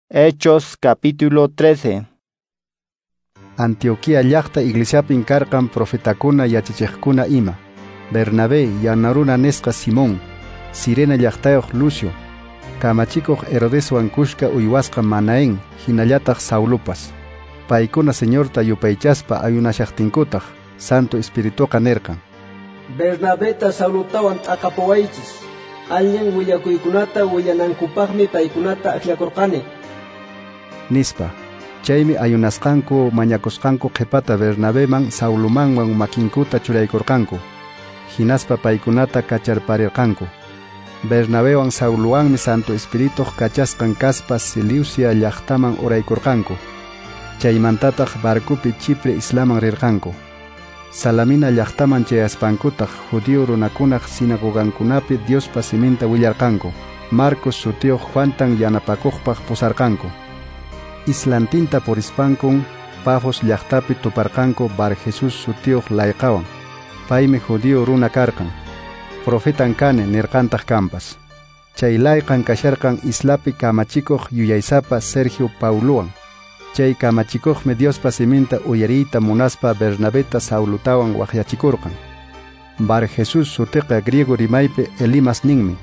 Hechos capítulo 13. Antioquía llaqta iglesiapin karqan profetakuna yachachiqkuna ima. Bernabé yanaruna nisqa Simón, Sirena llaqtayuq Lucio, kamachikuq Herodeswan kushka uywasqa Manaén, hinallataq Saulupas. Paykuna Señorta yupaychaspa ayunashaqtinkutaq, Santo Espirituqa nirqan: Bernabeta Saulutawan t'aqapuwaychis. Allin willakuykunata willanankupaqmi paykunata akllakurqani. Nispa. Chaymi ayunasqanku mañakusqanku qhipata Bernabeman Saulumanwan makinkuta churaykurqanku. Hinaspa paykunata kacharparirqanku. Bernabewan Sauluwanmi Santo Espirituq kachasqan kaspa Seleucia llaqtaman uraykurqanku. Chaymantataq barcopi Chipre islaman rirqanku. Salamina llaqtaman chayaspankutaq judío runakunaq sinagogankunapi Diospa siminta willarqanku. Marcos sutiyuq Juantan yanapakuqpaq pusarqanku. Islantinta purispankun Pafos llaqtapi tuparqanku Bar Jesús sutiyuq layqawan. Paymi judío runa karqan. Profetan kani nirqantaq kampas. Chay layqan kasharqan islapi kamachikuq yuyaysapa Sergio Pauluwan. Chay kamachikuqmi Diospa siminta uyariyta munaspa Bernabeta Saulutawan waqyachikurqan. Bar Jesús sutiqa griego rimaypi Elimas ninmi.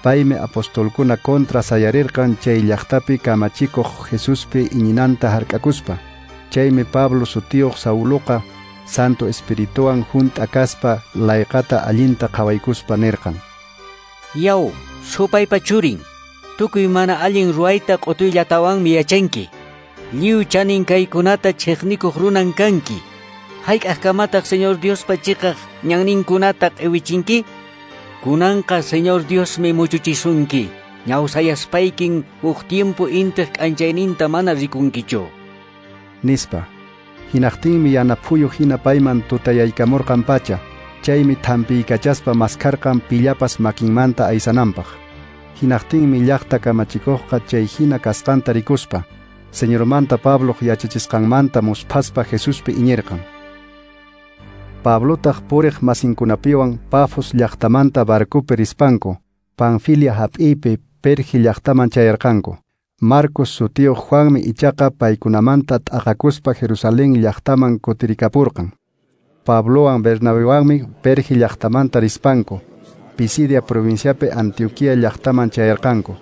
Paymi apostolkuna contra sayarirqan chay llaqtapi kamachikuq Jesuspi iñinanta hark'akuspa. Chaymi Pablo sutiyuq Sauluqa Santo Espirituwan hunt'a kaspa layqata allinta qhawaykuspa nirqan: Yaw, supaypa churin, tukuy mana allin ruwayta q'utuyllatawanmi yachanki. Lliw chanin kaykunata chiqnikuq runan kanki. Hayk'aqkamataq Señor Diospa chiqaq ñanninkunata q'iwichinki? Kunanqa Señor Diosmi muchuchisunki. Ñawsayaspaykin huk tiempo intiq k'anchayninta mana rikunkichu. Nispa. Hinaqtinmi yana phuyu hina payman tutayaykamurqan pacha. Chaymi thampiykachaspa maskharqan pillapas makinmanta aysananpaq. Hinaqtinmi llaqta kamachikuqqa chay hina kasqanta rikuspa Señormanta Pabloq yachachisqanmanta musphaspa Jesuspi iñirqan. Pablotaq puriq masinkunapiwan Pafos llaqtamanta barcopi rispanku Panfilia hap'iypi Perge llaqtaman chayarqanku. Marcos sutiyuq Juanmi ichaqa paykunamanta t'aqakuspa Jerusalén llaqtaman kutirikapurqan. Pablowan Bernabewanmi Perge llaqtamanta rispanku Pisidia provinciapi Antioquía llaqtaman chayarqanku.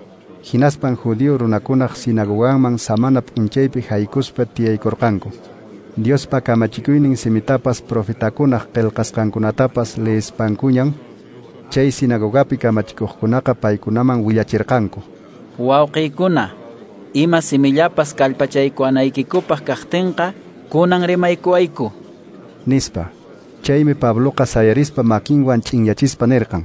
Hinaspan judío runakunaq sinagoganman samana p'unchaypi haykuspa tiyaykurqanku. Diospa kamachikuynin simitapas profetakunaq qillqasqankunatapas leespankuñan chay sinagogapi kamachikuqkunaqa paykunaman willachirqanku. Wawqiykuna, ima simillapas kallpachaykuwanaykikupaq kaqtinqa kunan rimaykuwayku. Nispa. Chaymi Pabloqa sayarispa makinwan ch'inyachispa nirqan: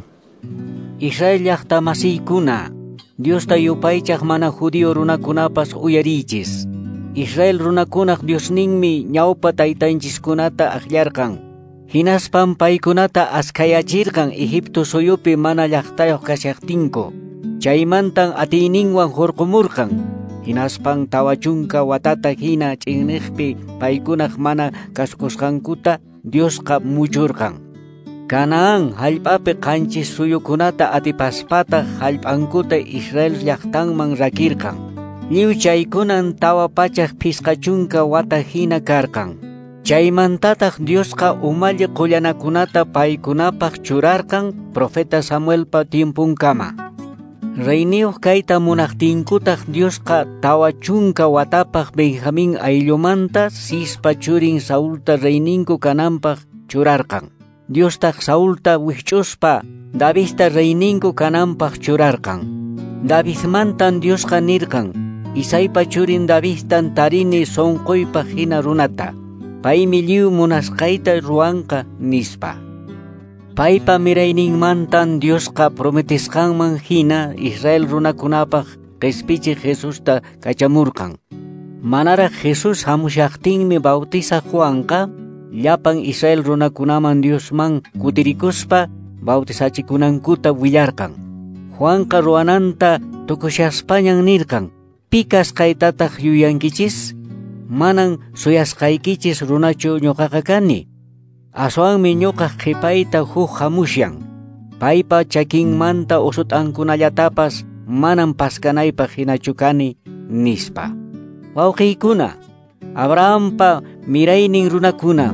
Israel llaqta masiykuna, Diosta yupaychaq mana judío runakunapas uyariychis. Israel runakunaq Diosninmi ñawpa taytanchiskunata akllarqan. Hinaspan paykunata askhayachirqan Egipto suyupi mana llaqtayuq kashaqtinku. Chaymantan atiyninwan hurqumurqan. Hinaspan 40 watata hina ch'inniqpi paykunaq mana kasukusqankuta Diosqa muchurqan. Canaán hallp'api qanchis suyukunata atipaspataq hallp'ankuta Israel llaqtanman rakirqan. Lliw chaykunan 450 wata hina karqan. Chaymantataq Diosqa umalli qullanakunata paykunapaq churarqan profeta Samuelpa tiempunkama. Reyniyuq kayta munaqtinkutaq Diosqa 40 watapaq Benjamín ayllumanta Cispa churin Saulta reyninku kananpaq churarqan. Diostaq Saulta wikch'uspa Davidta reyninku kananpaq churarqan. Davidmantan Diosqa nirqan: Isaipa churin Davidtan tarini sunquypaq hina runata. Paymi lliw munasqayta ruwanqa, nispa. Paypa mirayninmantan Diosqa prometisqanman hina Israel runakunapaq qhispichiq Jesusta kachamurqan. Manaraq Jesús hamushaqtinmi bautizaq Juanqa llapan Israel runakunaman Diosman kutirikuspa bautizachikunankuta willarqan. Juanqa ruwananta tukushaspañan nirqan: Pi kasqaytataq yuyankichis? Manan suyasqaykichis runachu ñuqaqa kani. Aswanmi ñuqaq qhipayta huk hamushan. Paypa chakinmanta usut'ankunallatapas manam paskanaypaq hinachu kani, nispa. Wawqiykuna, Abrahampa miraynin runakuna,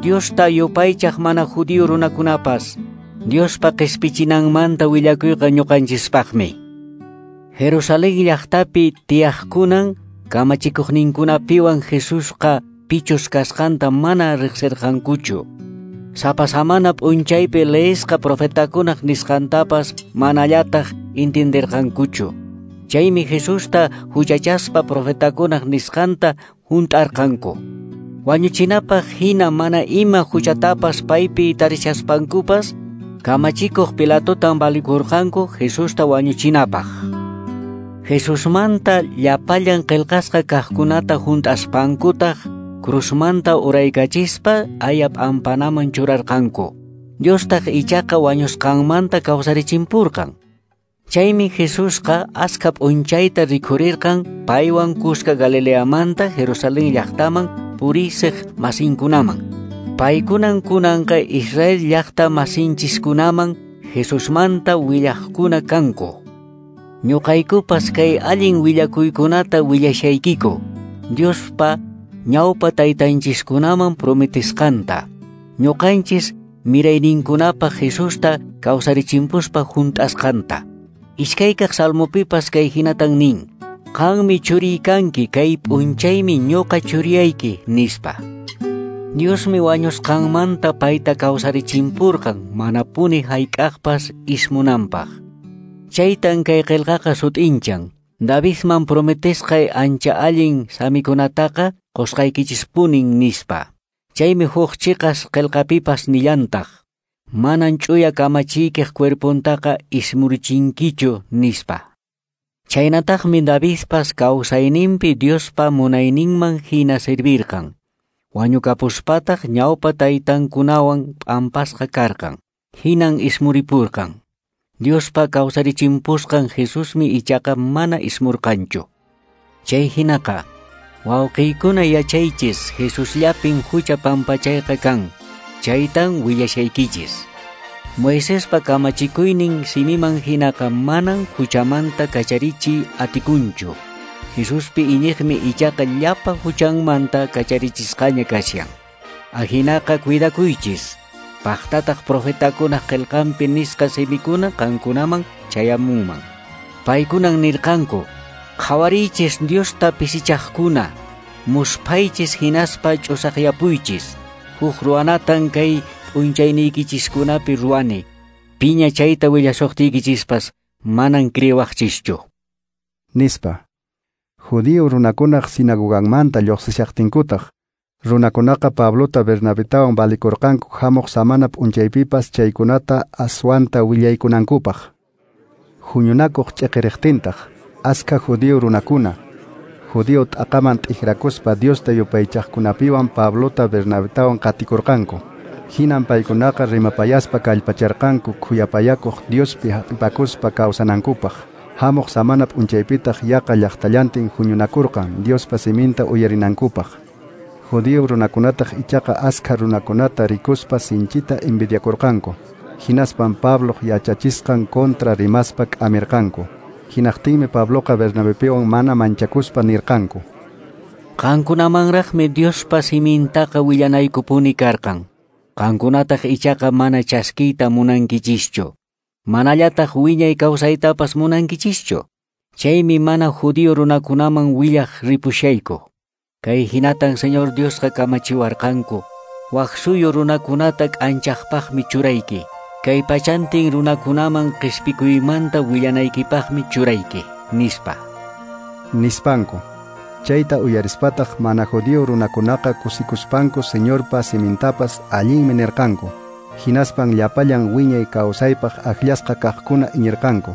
Diosta yupaychaq mana judío runakunapas, Diospa qispichinanmanta willakuyqa ñuqanchispaqmi. Jerusalén llaqtapi tiyaqkunan kamachikuqninkunapiwan Jesusqa pichus kasqanta mana riqsirqankuchu. Sapa samana p'unchaypi leesqa profetakunaq nisqantapas manallataq entenderqankuchu. Chaymi Jesusta huchachaspa profetakunaq nisqanta hunt'arqanku. Wañuchinapaq hina mana ima huchatapas paypi tarishaspankupas, kamachikuq Pilatotan valikurqanku Jesusta wañuchinapaq. Jesusmanta llapallan qillqasqa kaqkunata hunt'aspankutaq cruzmanta uraykachispa aya p'ampanaman churarqanku. Diostaq ichaqa wañusqanmanta kawsarichimpurqan. Chaymi Jesusqa askha p'unchayta rikhurirqan paywan kuska Galileamanta Jerusalén llaqtaman purisiq masinkunaman. Paykunan kunanqa Israel llaqta masinchiskunaman Jesusmanta willaqkuna kanku. Ñuqaykupas kay allin willakuykunata willashaykiku, Diospa ñawpa taytanchiskunaman prometisqanta. Ñuqanchis mirayninkunapaq Jesusta kawsarichimpuspa hunt'asqanta. Iskaykaq salmopipas kay hinatan nin: Qanmi churiy kanki, kay p'unchaymi ñuqa churiyayki, nispa. Diosmi wañusqanmanta payta kawsarichimpurqan manapuni hayk'aqpas ismunanpaq. Chaytan kay qillqaqa sut'inchan. Davidman prometesqay ancha allin samikunataqa qusqaykichispunin, nispa. Chaymi huk chiqas qillqapipas nillantaq: Manan ch'uya kamachiykiq cuerpontaqa ismurichinkichu, nispa. Chaynataqmi Davidpas kawsayninpi Diospa munayninman hina servirqan. Wañukapuspataq ñawpa taytankunawan p'ampasqa karqan. Hinan ismuripurqan. Diospa kawsarichimpusqan Jesusmi ichaqa mana ismurqanchu. Chay hinaqa, wawqiykuna yachaychis, Jesusllapin hucha pampachayqa kan. Chaytan willashaykichis. Moisespa kamachikuynin simiman hinaqa manan huchamanta kacharichiy atikunchu. Jesuspi iñiqmi ichaqa llapa huchanmanta kacharichisqaña kashan. Ahinaqa cuidakuychis. Paqtataq profetakunaq qillqanpi nisqa simikuna qankunaman chayamunman. Paykunan nirqanku: Qhawariychis Diosta pisichaqkuna, musphaychis hinaspa ch'usaqyapuychis. Huk ruwanatan kay p'unchayniykichiskunapi ruwani. Piña chayta willasuqtiykichispas manan creewaqchischu, nispa. Judío runakunaq sinagoganmanta lluqsishaqtinkutaq, runakunaqa Pablota Bernabetawan valikurqanku hamuq samana p'unchaypipas chaykunata aswanta willaykunankupaq. Huñunakuq ch'iqiriqtintaq, askha judío runakuna, judío t'aqaman t'ikrakuspa Diosta yupaychaqkunapiwan Pablota Bernabetawan qatikurqanku. Hinan paykunaqa rimapayaspa kallpacharqanku khuyapayakuq Diospi hap'ipakuspa kawsanankupaq. Hamuq samana p'unchaypitaq yaqa llaqtallantin huñunakurqan Diospa siminta uyarinankupaq. Judío runakunataq ichaqa askha runakunata rikuspa sinchita envidiakurqanku. Hinaspan Pabloq yachachisqan contra rimaspa k'amirqanku. Hinaqtinmi Pabloqa Bernabepiwan mana manchakuspa nirqanku: Qankunamanraqmi Diospa simintaqa willanaykupuni karqan. Qankunataq ichaqa mana chaskiyta munankichischu. Manallataq wiñay kawsaytapas munankichischu. Chaymi mana judío runakunaman willaq ripushayku. Kay hinatan Señor Diosqa kamachiwarqanku: Wak suyu runakunata k'anchaqpaqmi churayki. Kay pachantin runakunaman qispikuymanta willanaykipaqmi churayki, nispa. Nispanku. Chayta uyarispataq mana judío runakunaqa kusikuspanku Señorpa simintapas allinmi nirqanku. Hinaspan llapallan wiñay kawsaypaq akllasqa kaqkuna iñirqanku.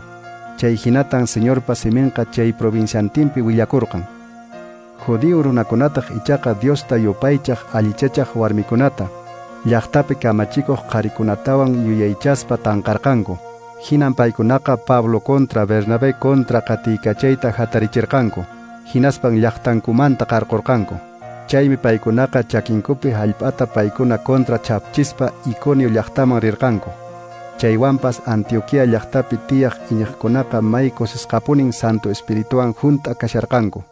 Chay hinatan Señorpa siminqa chay provinciantinpi willakurqan. Judío runakunataq ichaqa Diosta yupaychaq allichachaq warmikunata, llaqtapi kamachikuq qharikunatawan yuyaychaspa tanqarqanku. Hinan paykunaqa Pablo contra Bernabé contra qatiykachayta hatarichirqanku. Hinaspan llaqtankumanta qarqurqanku. Chaymi paykunaqa chakinkupi hallp'ata paykuna contra chapchispa Iconio llaqtaman rirqanku. Chaywanpas Antioquía llaqtapi tiyaq iñiqkunaqa may kusisqapunin Santo Espirituwan hunt'a kasharqanku.